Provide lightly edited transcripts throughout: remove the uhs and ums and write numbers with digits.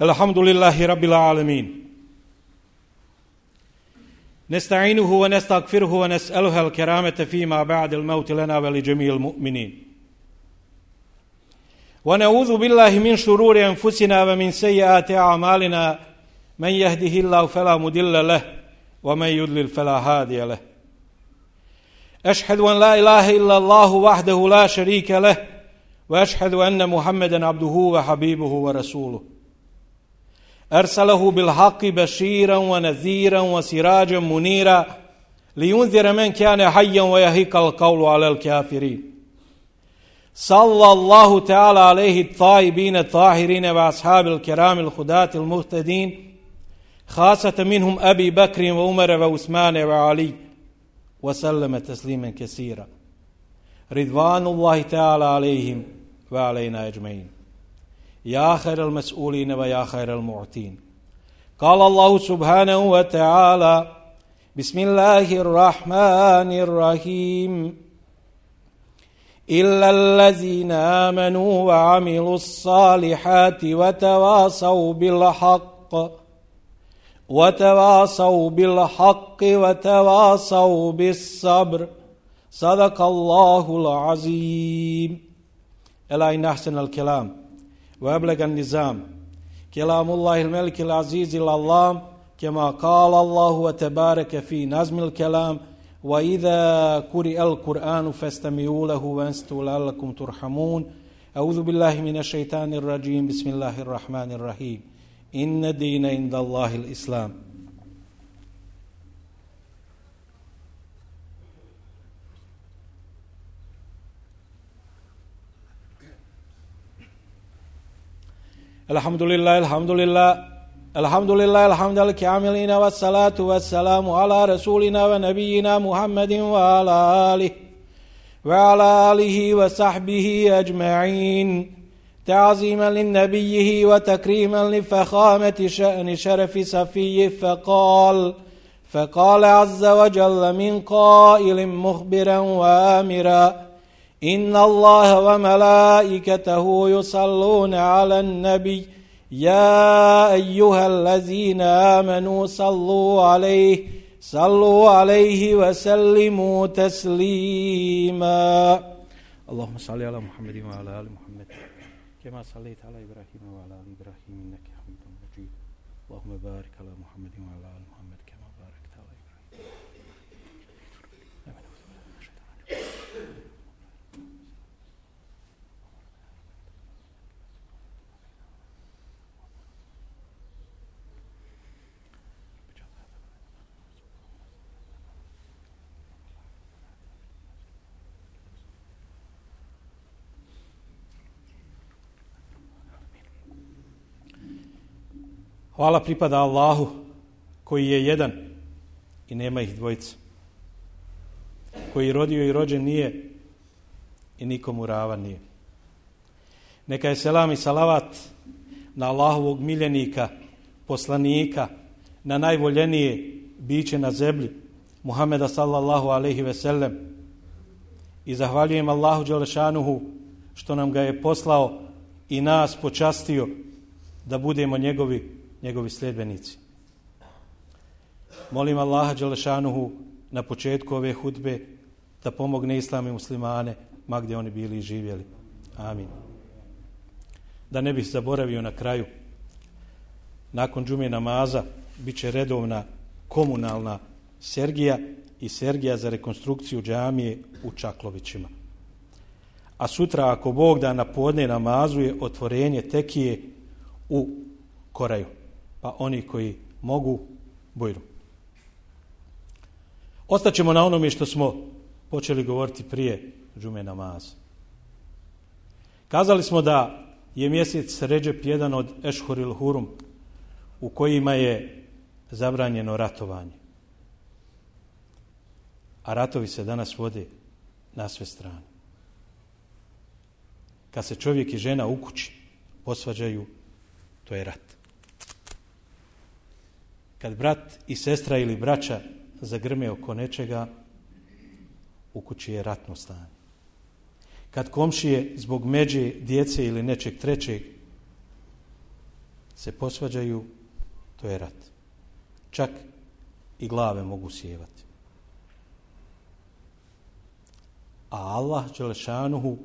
الحمد لله رب العالمين نستعينه ونستغفره ونسأله الكرامة فيما بعد الموت لنا ولجميع المؤمنين ونعوذ بالله من شرور أنفسنا ومن سيئات أعمالنا من يهده الله فلا مضل له ومن يضلل فلا هادي له أشهد أن لا إله إلا الله وحده لا شريك له وأشهد أن محمدا عبده وحبيبه ورسوله أرسله بالحق بشيرا ونذيرا وسراجا منيرا لينذر من كان حيا ويهيق القول على الكافرين صلى الله تعالى عليه الطيبين الطاهرين وأصحاب الكرام الخداة المهتدين خاصة منهم أبي بكر وعمر وعثمان وعلي وسلم تسليما كثيرا رضوان الله تعالى عليهم وعلينا أجمعين يا خير المسؤولين ويا خير المعطين قال الله سبحانه وتعالى بسم الله الرحمن الرحيم إلا الذين آمنوا وعملوا الصالحات وتواصوا بالحق وتواصوا بالصبر صدق الله العظيم ألا إن أحسن الكلام وأبلغ النظام كلام الله الملك العزيز العلام كما قال الله وتبارك في نظم الكلام وإذا قرئ القرآن فاستمعوا له وأنصتوا لعلكم ترحمون أعوذ بالله من الشيطان الرجيم بسم الله الرحمن الرحيم إن الدين عند الله الإسلام الحمد لله الحمد لله الحمد الكاملين والصلاة والسلام على رسولنا ونبينا محمد وعلى آله وصحبه أجمعين تعظيما لنبيه وتكريما لفخامة شأن شرف صفيه فقال عز وجل من قائل مخبرا وآمرا إن الله وملائكته يصلون على النبي يا أيها الذين آمنوا صلوا عليه وسلموا تسليما اللهم صل على محمد وعلى آل محمد كما صليت على إبراهيم وعلى آل إبراهيم إنك حميد مجيد اللهم بارك على محمد وعلى آل محمد كما باركت على إبراهيم Hvala pripada Allahu koji je jedan i nema ih dvojica. Koji rodio i rođen nije i nikomu ravan nije. Neka je selam i salavat na Allahovog miljenika, poslanika, na najvoljenije biće na zemlji, Muhameda sallallahu alejhi ve sellem. I zahvaljujem Allahu dželešanuhu što nam ga je poslao i nas počastio da budemo njegovi sljedbenici. Molim Allaha dželešanuhu na početku ove hudbe da pomogne islam i muslimane ma gdje oni bili i živjeli. Amin. Da ne bih zaboravio na kraju, nakon džume namaza bit će redovna komunalna sergija i sergija za rekonstrukciju džamije u Čaklovićima. A sutra, ako Bog da, na podne namazu je otvorenje tekije u Koraju. Pa oni koji mogu, bujru. Ostaćemo na onome što smo počeli govoriti prije džume namaza. Kazali smo da je mjesec Redžep jedan od Ešhuril Hurum u kojima je zabranjeno ratovanje. A ratovi se danas vode na sve strane. Kad se čovjek i žena u kući posvađaju, to je rat. Kad brat i sestra ili braća zagrme oko nečega, u kući je ratno stanje. Kad komšije zbog međe, djece ili nečeg trećeg se posvađaju, to je rat. Čak i glave mogu sjevati. A Allah dželešanuhu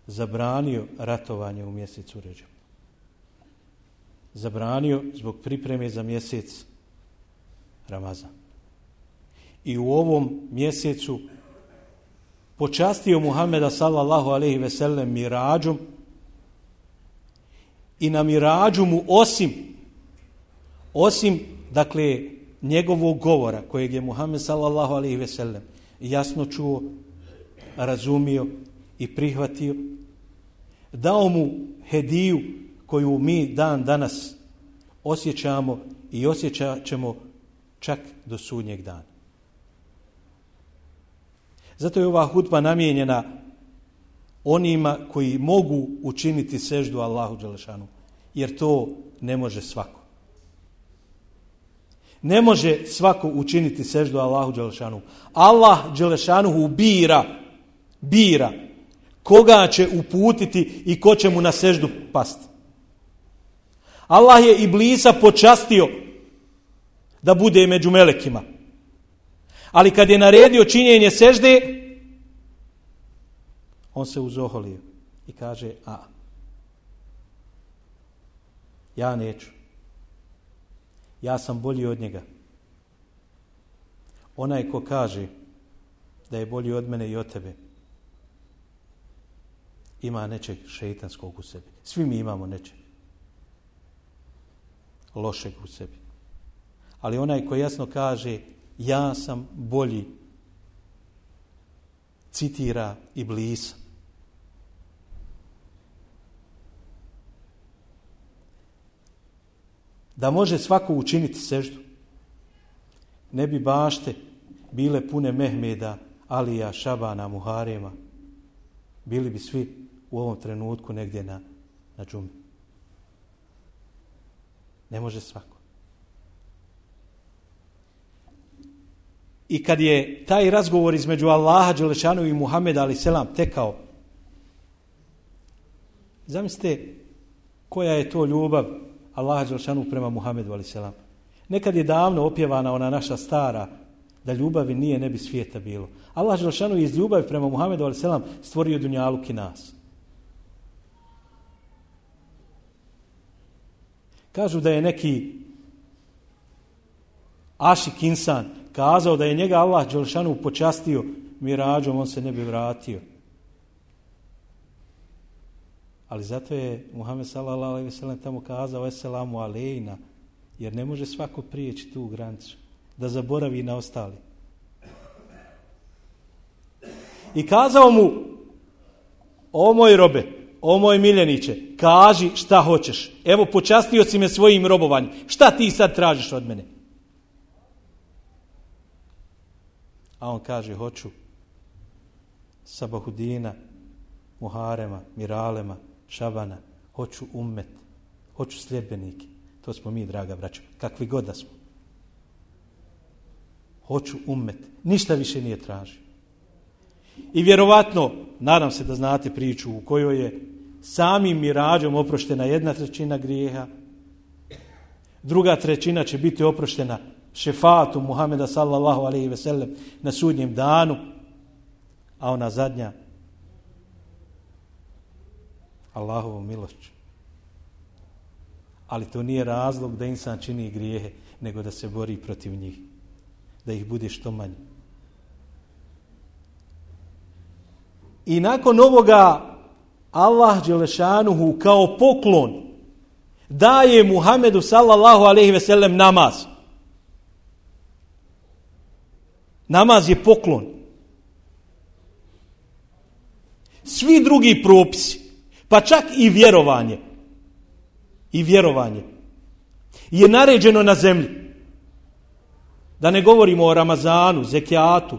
zabranio ratovanje u mjesecu Redžep. Zabranio zbog pripreme za mjesec Ramazan. I u ovom mjesecu počastio Muhameda sallallahu alejhi ve sellem mirađom i na mirađu mu osim dakle njegovog govora kojeg je Muhammed sallallahu alejhi ve sellem jasno čuo, razumio i prihvatio, dao mu hediju koju mi dan danas osjećamo i osjećat ćemo čak do sudnjeg dana. Zato je ova hudba namijenjena onima koji mogu učiniti seždu Allahu dželešanu, jer to ne može svako. Ne može svako učiniti seždu Allahu dželešanu. Allah dželešanu bira koga će uputiti i ko će mu na seždu pasti. Allah je Iblisa počastio da bude među melekima. Ali kad je naredio činjenje sežde, on se uzoholio i kaže: ja neću. Ja sam bolji od njega. Onaj ko kaže da je bolji od mene i od tebe, ima nečeg šeitanskog u sebi. Svi mi imamo nečeg lošeg u sebi. Ali onaj ko jasno kaže ja sam bolji, citira Iblisa. Da može svako učiniti seždu, ne bi bašte bile pune Mehmeda, Alija, Šabana, Muharema. Bili bi svi u ovom trenutku negdje na džumi. Ne može svako. I kad je taj razgovor između Allaha dželešanu i Muhameda alejhi selam tekao, zamislite koja je to ljubav Allaha dželešanu prema Muhamedu alejhi selam. Nekad je davno opjevana ona naša stara, da ljubavi nije, ne bi svijeta bilo. Allah dželešanu iz ljubavi prema Muhamedu alejhi selam stvorio dunjaluk i nas. Kažu da je neki ašik insan kazao da je njega Allah dželešanu počastio mirađom, on se ne bi vratio. Ali zato je Muhammed sallallahu alejhi ve sellem tamo kazao eselamu alejna, jer ne može svako prijeći tu granicu da zaboravi na ostali. I kazao mu: o moj robe, o moj miljeniče, kaži šta hoćeš. Evo, počastio si me svojim robovanjem. Šta ti sad tražiš od mene? A on kaže: hoću Sabahudina, Muharema, Miralema, Šabana, hoću ummet, hoću sljedbenike. To smo mi, draga braćo, kakvi god da smo. Hoću ummet, ništa više nije tražio. I vjerovatno, nadam se da znate priču u kojoj je samim mirađom oproštena 1/3 grijeha, 2/3 će biti oproštena šefatu Muhameda sallallahu alejhi ve sellem na sudnjem danu, a ona zadnja Allahovom milošću. Ali to nije razlog da insan čini grijehe, nego da se bori protiv njih, da ih bude što manje. I nakon ovoga Allah dželešanuhu kao poklon daje Muhamedu sallallahu alejhi ve sellem namaz. Namaz je poklon. Svi drugi propisi, pa čak i vjerovanje je naređeno na zemlji. Da ne govorimo o Ramazanu, zekijatu,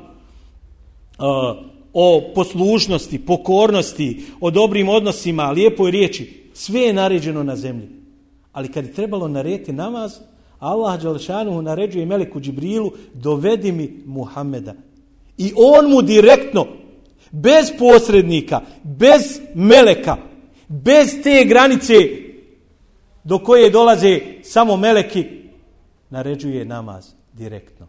o poslušnosti, pokornosti, o dobrim odnosima, lijepoj riječi. Sve je naređeno na zemlji. Ali kad je trebalo narediti namaz, Allah dželešanu naređuje meleku Džibrilu: dovedi mi Muhameda. I on mu direktno, bez posrednika, bez meleka, bez te granice do koje dolaze samo meleki, naređuje namaz direktno.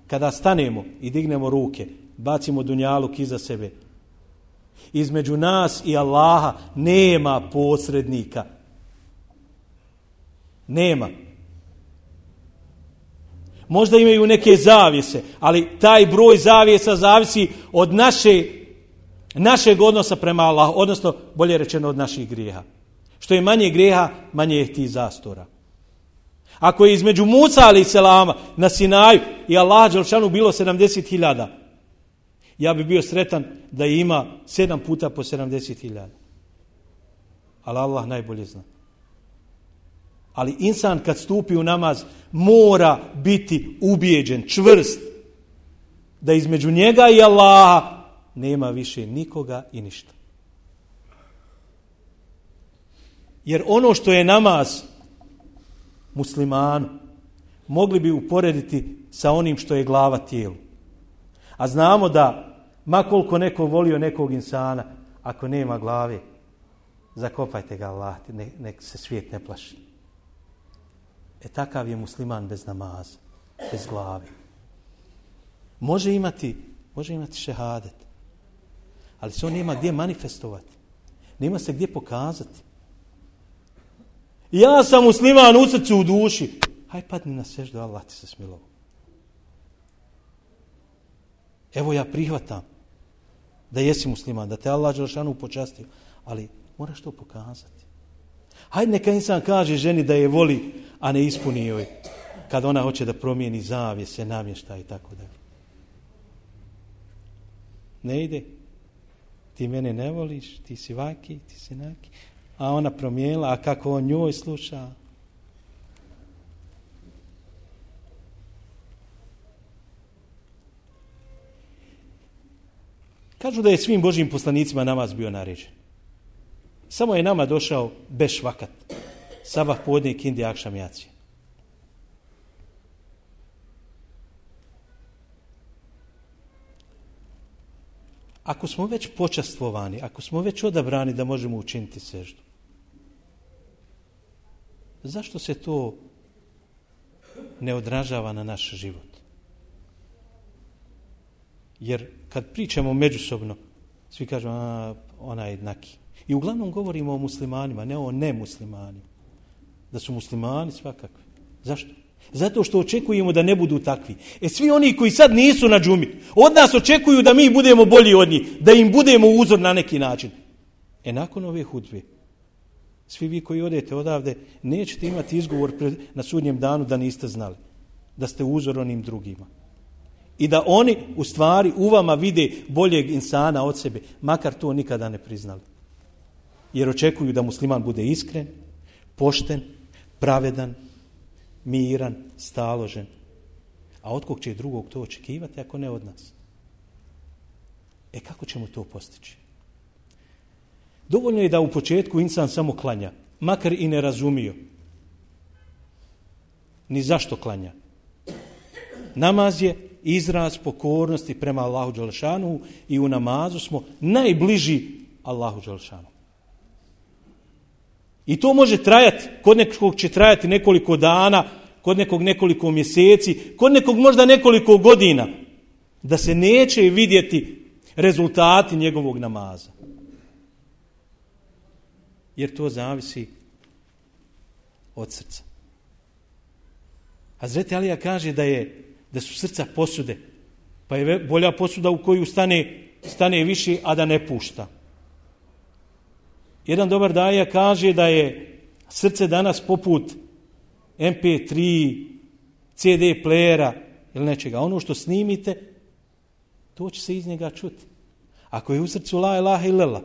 Kada stanemo i dignemo ruke, bacimo dunjaluk iza sebe, između nas i Allaha nema posrednika. Nema. Možda imaju neke zavjese, ali taj broj zavjesa zavisi od našeg odnosa prema Allahu, odnosno bolje rečeno od naših grijeha. Što je manje grijeha, manje je tih zastora. Ako je između Musa alejhi selama na Sinaju i Allaha dželešanu bilo 70.000, ja bi bio sretan da ima 7 puta po 70.000. Ali Allah najbolje zna. Ali insan kad stupi u namaz mora biti ubijeđen, čvrst, da između njega i Allaha nema više nikoga i ništa. Jer ono što je namaz muslimanu mogli bi uporediti sa onim što je glava tijelu. A znamo da ma koliko neko volio nekog insana, ako nema glave, zakopajte ga Allah, nek se svijet ne plaši. Takav je musliman bez namaza, bez glave. Može imati šehadet, ali se on nema gdje manifestovati. Nema se gdje pokazati. Ja sam musliman u srcu, u duši. Haj padni na seždu, Allah ti se smilovao. Evo ja prihvatam da jesi musliman, da te Allah dželešanu počastio, ali moraš to pokazati. Hajde neka insan kaže ženi da je voli, a ne ispuni joj kad ona hoće da promijeni zavjese, namještaj i tako dalje. Ne ide. Ti mene ne voliš, ti si vaki, ti si naki. A ona promijenila, a kako on njoj sluša. Kažu da je svim Božjim poslanicima namaz bio naređen. Samo je nama došao beš vakat. Sabah, podne, kindi, akšam, jacija. Ako smo već počastvovani, ako smo već odabrani da možemo učiniti seždu, zašto se to ne odražava na naš život? Jer kad pričamo međusobno, svi kažu, ona je jednaki. I uglavnom govorimo o muslimanima, ne o nemuslimanima. Da su muslimani svakakvi. Zašto? Zato što očekujemo da ne budu takvi. Svi oni koji sad nisu na džumi, od nas očekuju da mi budemo bolji od njih, da im budemo uzor na neki način. Nakon ove hudbe, svi vi koji odete odavde, nećete imati izgovor na sudnjem danu da niste znali. Da ste uzor onim drugima. I da oni u stvari u vama vide boljeg insana od sebe, makar to nikada ne priznali. Jer očekuju da musliman bude iskren, pošten, pravedan, miran, staložen. A od kog će drugog to očekivati ako ne od nas? Kako ćemo to postići? Dovoljno je da u početku insan samo klanja, makar i ne razumio ni zašto klanja. Namaz je izraz pokornosti prema Allahu dželešanu i u namazu smo najbliži Allahu dželešanu. I to može trajati, kod nekog će trajati nekoliko dana, kod nekog nekoliko mjeseci, kod nekog možda nekoliko godina, da se neće vidjeti rezultati njegovog namaza. Jer to zavisi od srca. Hazreti Alija kaže da su srca posude, pa je bolja posuda u koju stane više, a da ne pušta. Jedan dobar daja kaže da je srce danas poput MP3, CD playera ili nečega. Ono što snimite, to će se iz njega čuti. Ako je u srcu la ilaha illallah,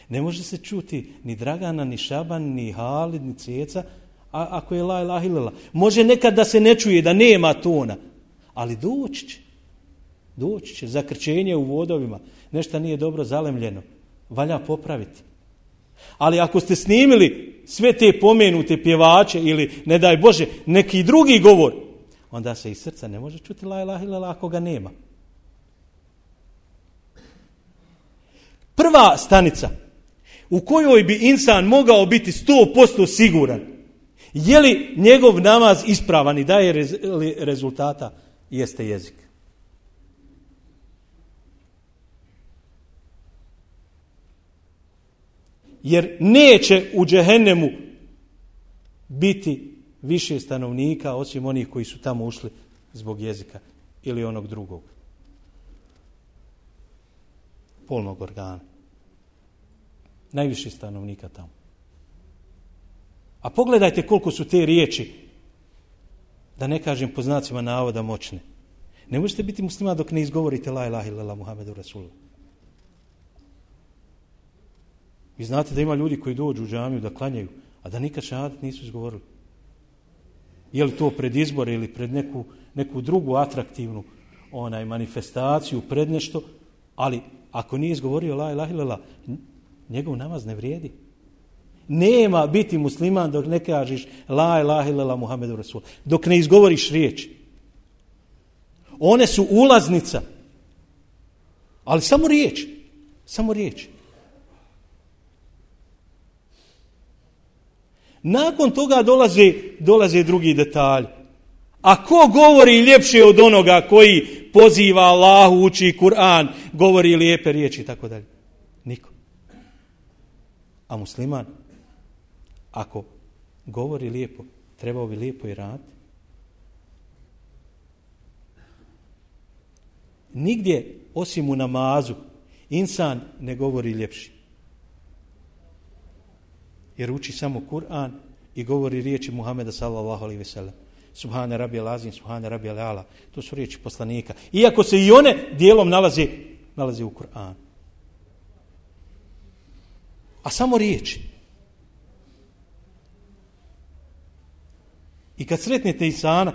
ne može se čuti ni Dragana, ni Šaban, ni Halid, ni Ceca, ako je la ilaha illallah. Može nekad da se ne čuje, da nema tona, ali doći će. Zakrčenje u vodovima, nešto nije dobro zalemljeno, valja popraviti. Ali ako ste snimili sve te pomenute pjevače ili, ne daj Bože, neki drugi govor, onda se iz srca ne može čuti la ilaha illallah ako ga nema. Prva stanica u kojoj bi insan mogao biti 100% siguran je li njegov namaz ispravan i daje rezultata, jeste jezik. Jer neće u džehennemu biti više stanovnika osim onih koji su tamo ušli zbog jezika ili onog drugog polnog organa. Najviše stanovnika tamo. A pogledajte koliko su te riječi, da ne kažem po znacima navoda, moćne. Ne možete biti musliman dok ne izgovorite la ilaha illallah Muhammedur Rasulullah. Vi znate da ima ljudi koji dođu u džamiju da klanjaju, a da nikad šehadet nisu izgovorili. Je li to pred izbore ili pred neku drugu atraktivnu manifestaciju, pred nešto, ali ako nije izgovorio la ilaha illallah, njegov namaz ne vrijedi. Nema biti musliman dok ne kažeš la ilaha illallah Muhammedur Rasulullah, dok ne izgovoriš riječi. One su ulaznica, ali samo riječ. Samo riječ. Nakon toga dolaze drugi detalji. A ko govori ljepše od onoga koji poziva Allahu, uči Kur'an, govori lijepe riječi i tako dalje? Niko. A musliman, ako govori lijepo, trebao bi lijepo i raditi. Nigdje, osim u namazu, insan ne govori ljepši. Jer uči samo Kur'an i govori riječi Muhameda sallallahu alejhi ve sellem. Subhane rabijel azim, subhane rabijel ala. To su riječi poslanika. Iako se i one dijelom nalaze u Kur'anu. A samo riječi. I kad sretnete insana,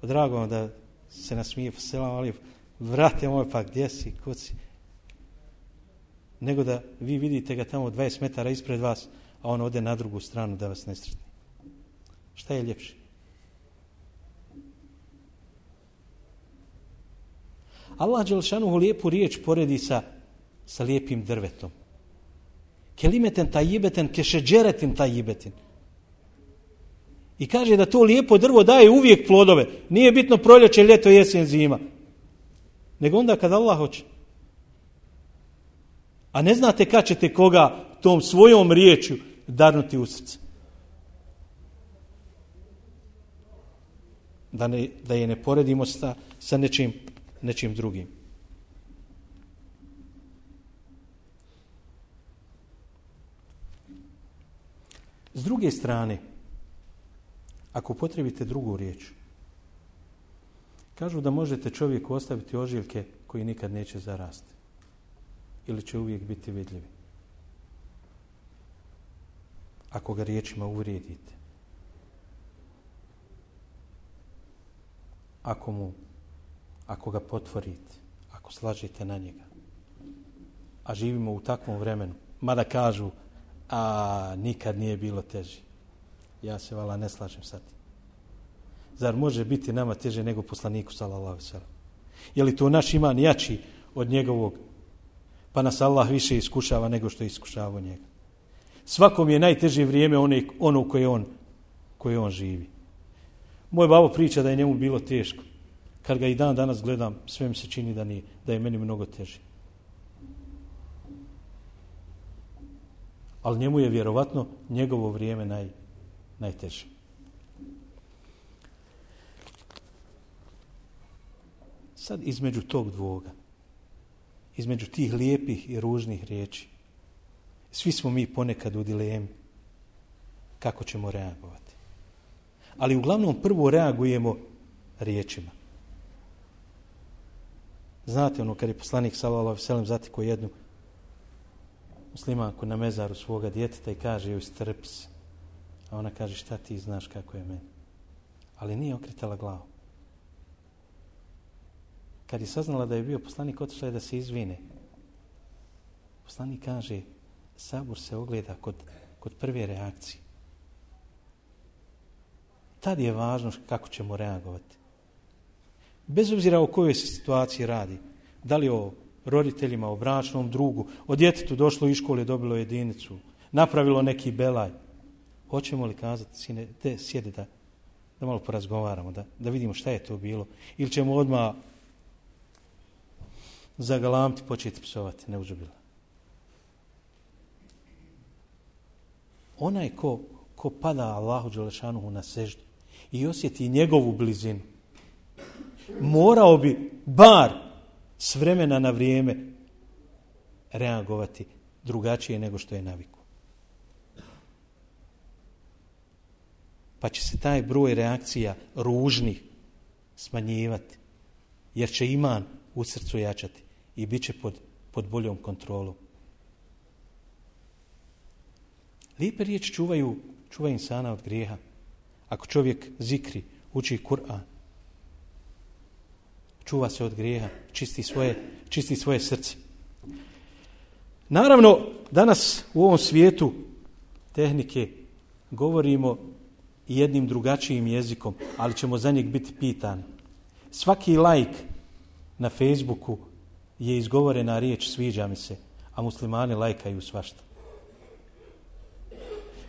drago vam da se nasmije, selam alejkum, vrate moj, pa gdje si, kud si? Nego da vi vidite ga tamo 20 metara ispred vas, a on ode na drugu stranu da vas ne sretne. Šta je ljepše? Allah dželšanuhu lijepu riječ poredi sa lijepim drvetom. Kelimeten tajibeten kešeđeretin tajibetin. I kaže da to lijepo drvo daje uvijek plodove. Nije bitno proljeće, ljeto, jesen, zima. Nego onda kad Allah hoće. A ne znate kad ćete koga tom svojom riječju darnuti u srce. Da je ne poredimo sa nečim drugim. S druge strane, ako potrebite drugu riječ, kažu da možete čovjeku ostaviti ožiljke koji nikad neće zarasti. Ili će uvijek biti vidljivi. Ako ga riječima uvrijedite. Ako ga potvorite. Ako slažete na njega. A živimo u takvom vremenu. Mada kažu, a nikad nije bilo teže. Ja se vala ne slažem sad. Zar može biti nama teže nego poslaniku sallallahu alejhi ve sellem? Je li to naš iman jači od njegovog? Pa nas Allah više iskušava nego što je iskušavao njega. Svakom je najteže vrijeme ono koje on živi. Moj babo priča da je njemu bilo teško. Kad ga i dan danas gledam, sve mi se čini da je meni mnogo teže. Ali njemu je vjerovatno njegovo vrijeme najteže. Sad između tog dvoga, između tih lijepih i ružnih riječi, svi smo mi ponekad u dilemi kako ćemo reagovati. Ali uglavnom prvo reagujemo riječima. Znate ono kad je poslanik sallallahu alejhi ve sellem zatekao jednu muslimanku na mezaru svoga djeteta i kaže joj strpi se. A ona kaže šta ti znaš kako je meni. Ali nije okretala glavu. Kad je saznala da je bio poslanik, otišla je da se izvine. Poslanik kaže, sabor se ogleda kod prve reakcije. Tad je važno kako ćemo reagovati. Bez obzira o kojoj se situaciji radi. Da li o roditeljima, o bračnom drugu, o djetetu došlo iz škole, dobilo jedinicu, napravilo neki belaj. Hoćemo li kazati, sine, te sjedi da malo porazgovaramo, da vidimo šta je to bilo. Ili ćemo odmah zagalamiti, početi psovati, ne uzubila. Onaj ko pada Allahu dželešanuhu na seždu i osjeti njegovu blizinu, morao bi bar s vremena na vrijeme reagovati drugačije nego što je naviku. Pa će se taj broj reakcija ružnih smanjivati, jer će iman u srcu jačati i bit će pod boljom kontrolom. Lijepe riječi čuvaju insana od grijeha. Ako čovjek zikri, uči Kur'an, čuva se od grijeha, čisti svoje srce. Naravno, danas u ovom svijetu tehnike govorimo jednim drugačijim jezikom, ali ćemo za njeg biti pitani. Svaki like na Facebooku je izgovorena riječ sviđa mi se, a muslimani lajkaju svašta.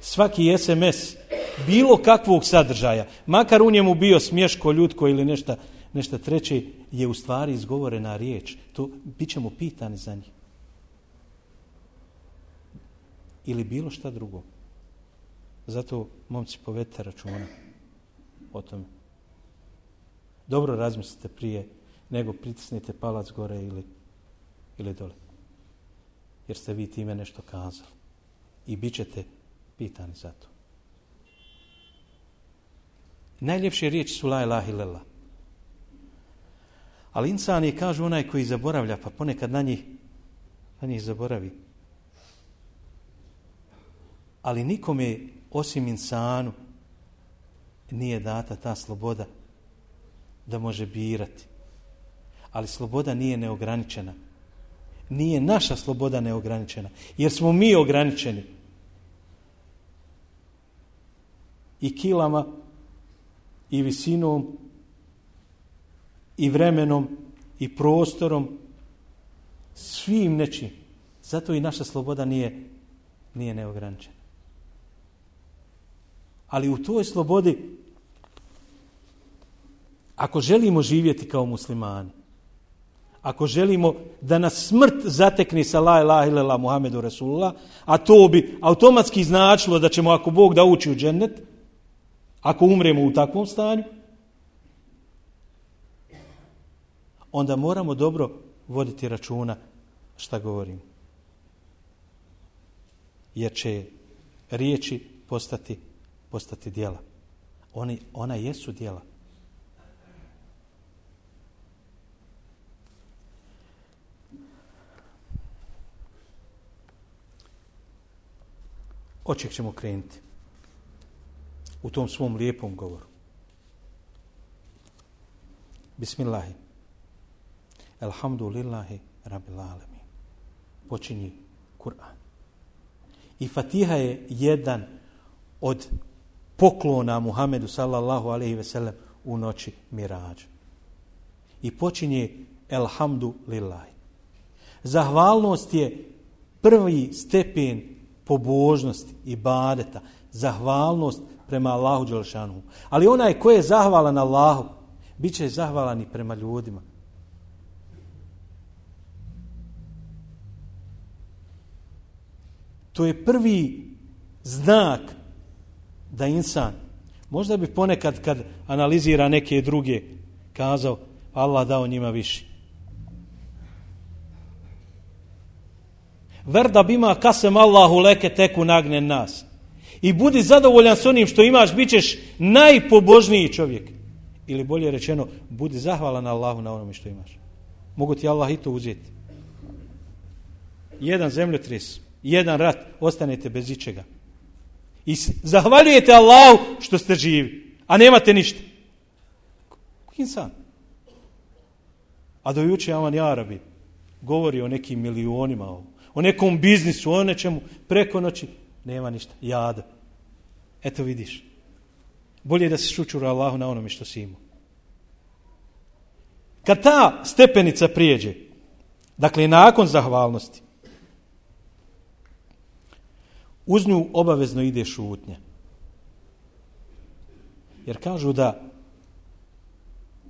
Svaki SMS bilo kakvog sadržaja, makar u njemu bio smješko, ljutko ili nešto treće, je u stvari izgovorena riječ. To bit ćemo pitani za njih. Ili bilo šta drugo. Zato, momci, povedite računa o tome. Dobro razmislite prije nego pritisnite palac gore ili dole. Jer ste vi time nešto kazali. I bit ćete pitani za to. Najljepše riječi su la ilaha illallah. Ali insan je, kažu, onaj koji zaboravlja, pa ponekad na njih zaboravi. Ali nikome osim insanu nije data ta sloboda da može birati. Ali sloboda nije neograničena. Nije naša sloboda neograničena, jer smo mi ograničeni. I kilama, i visinom, i vremenom, i prostorom, svim nečim. Zato i naša sloboda nije neograničena. Ali u toj slobodi, ako želimo živjeti kao muslimani, ako želimo da nas smrt zatekne sa la ilaha illallah Muhammedu Rasulullah, a to bi automatski značilo da ćemo, ako Bog da, ući u džennet, ako umremo u takvom stanju, onda moramo dobro voditi računa šta govorimo. Jer će riječi postati djela. Ona jesu djela. Od čeg ćemo krenuti u tom svom lijepom govoru? Bismillahi. Alhamdulillahi rabbil alamin. Počinje Kur'an. I Fatiha je jedan od poklona Muhammedu sallallahu alejhi ve sellem u noći Miradža. I počinje Elhamdulillahi. Zahvalnost je prvi stepen pobožnosti, ibadeta, zahvalnost prema Allahu dželešanuhu. Ali onaj ko je zahvalan Allahu, bit će zahvalan i prema ljudima. To je prvi znak da insan, možda bi ponekad kad analizira neke druge, kazao Allah dao njima više. Verda bima kasem Allahu leke teku nagne nas. I budi zadovoljan s onim što imaš, bit ćeš najpobožniji čovjek. Ili bolje rečeno, budi zahvalan Allahu na onome što imaš. Mogu ti Allah i to uzeti. Jedan zemljotres, jedan rat, ostanete bez ičega. I zahvaljujete Allahu što ste živi, a nemate ništa. Insan. A do juče Aman Jarabi govori o nekim milionima, o nekom biznisu, o nečemu, preko noći nema ništa. Jada. Eto vidiš. Bolje je da se šučura Allahu na onome što si imao. Kad ta stepenica prijeđe, Dakle, nakon zahvalnosti uz nju obavezno ide šutnja. Jer kažu da,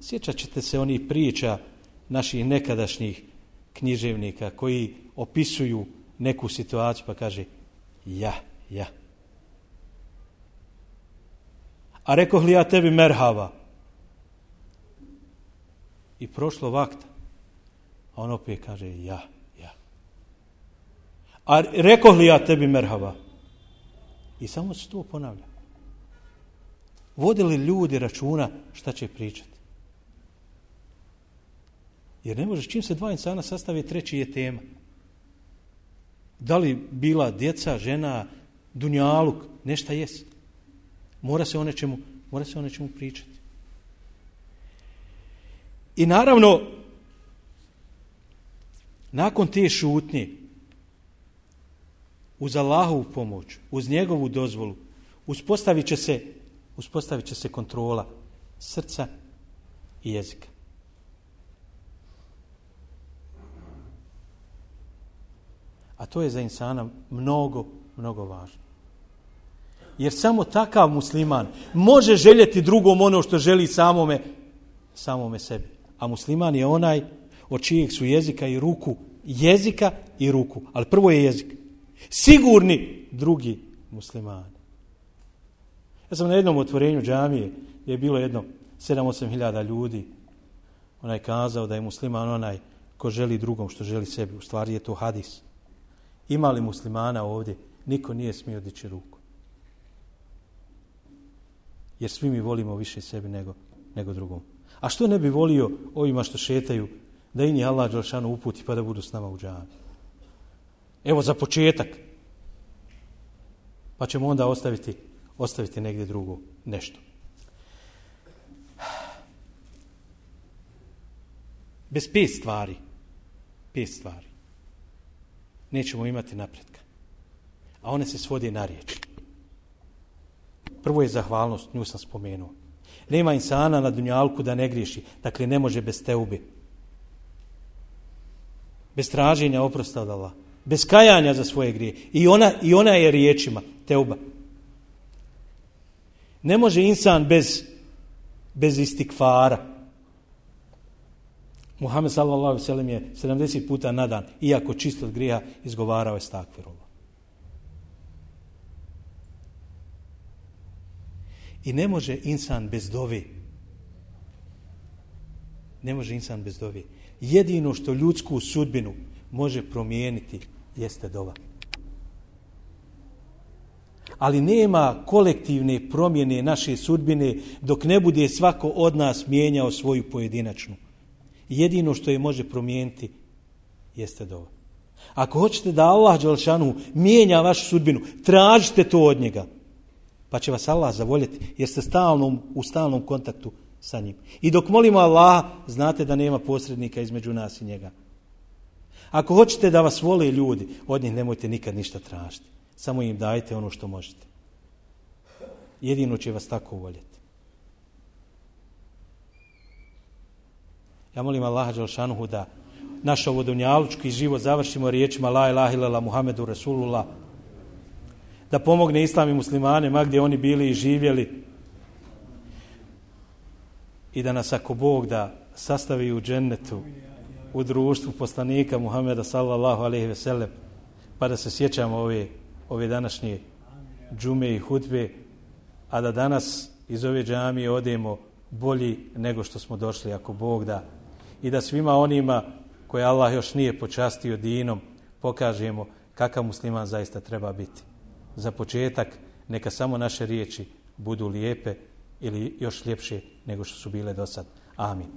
sjećat ćete se onih priča naših nekadašnjih književnika koji opisuju neku situaciju pa kaže ja. A rekoh li ja tebi merhaba? I prošlo vakta. A on opet kaže ja. A rekoh li ja tebi merhaba? I samo se to ponavlja. Vodili ljudi računa šta će pričati? Jer ne možeš, čim se dva insana sastave, treći je tema. Da li bila djeca, žena, dunjaluk, nešto jest. Mora se o nečemu pričati. I naravno, nakon te šutnje, uz Allahovu pomoć, uz njegovu dozvolu, uspostavit će se kontrola srca i jezika. A to je za insana mnogo, mnogo važno. Jer samo takav musliman može željeti drugom ono što želi samome sebi. A musliman je onaj od čijeg su jezika i ruku. Ali prvo je jezik. Sigurni drugi muslimani. Ja sam na jednom otvorenju džamije gdje je bilo jedno 7-8 hiljada ljudi. Onaj kazao da je musliman onaj ko želi drugom što želi sebi. U stvari je to hadis. Ima li muslimana ovdje? Niko nije smio dići ruku. Jer svi mi volimo više sebi nego drugom. A što ne bi volio ovima što šetaju da i njih Allah dželešanu uputi pa da budu s nama u džami? Evo za početak. Pa ćemo onda ostaviti negdje drugo nešto. Bez 5 stvari nećemo imati napretka. A one se svode na riječ. Prvo je zahvalnost, nju sam spomenuo. Nema insana na dunjalku da ne griješi. Dakle, ne može bez teube. Bez traženja oprosta od Allaha. Bez kajanja za svoje grije. I ona je riječima, teuba. Ne može insan bez istikfara. Muhammed sallallahu alejhi ve sellem je 70 puta na dan, iako čist od grijeha, izgovarao estakfirullah. I ne može insan bez dove. Jedino što ljudsku sudbinu može promijeniti jeste dova. Ali nema kolektivne promjene naše sudbine dok ne bude svako od nas mijenjao svoju pojedinačnu. Jedino što je može promijeniti jeste dova. Ako hoćete da Allah dželešanu mijenja vašu sudbinu, tražite to od njega. Pa će vas Allah zavoljeti jer ste u stalnom kontaktu sa njim. I dok molimo Allaha, znate da nema posrednika između nas i njega. Ako hoćete da vas vole ljudi, od njih nemojte nikad ništa tražiti. Samo im dajte ono što možete. Jedino će vas tako voljeti. Ja molim Allaha dželešanu da naš ovo dunjalučki život završimo riječima la ilaha illallah Muhammedu Rasulullah. Da pomogne islam i muslimane ma gdje oni bili i živjeli. I da nas ako Bog da sastavi u džennetu u društvu poslanika Muhameda sallallahu alejhi ve sellem, pa da se sjećamo ove današnje džume i hutbe, a da danas iz ove džamije odemo bolji nego što smo došli ako Bog da. I da svima onima koje Allah još nije počastio dinom pokažemo kakav musliman zaista treba biti. Za početak neka samo naše riječi budu lijepe ili još ljepše nego što su bile do sad. Amin.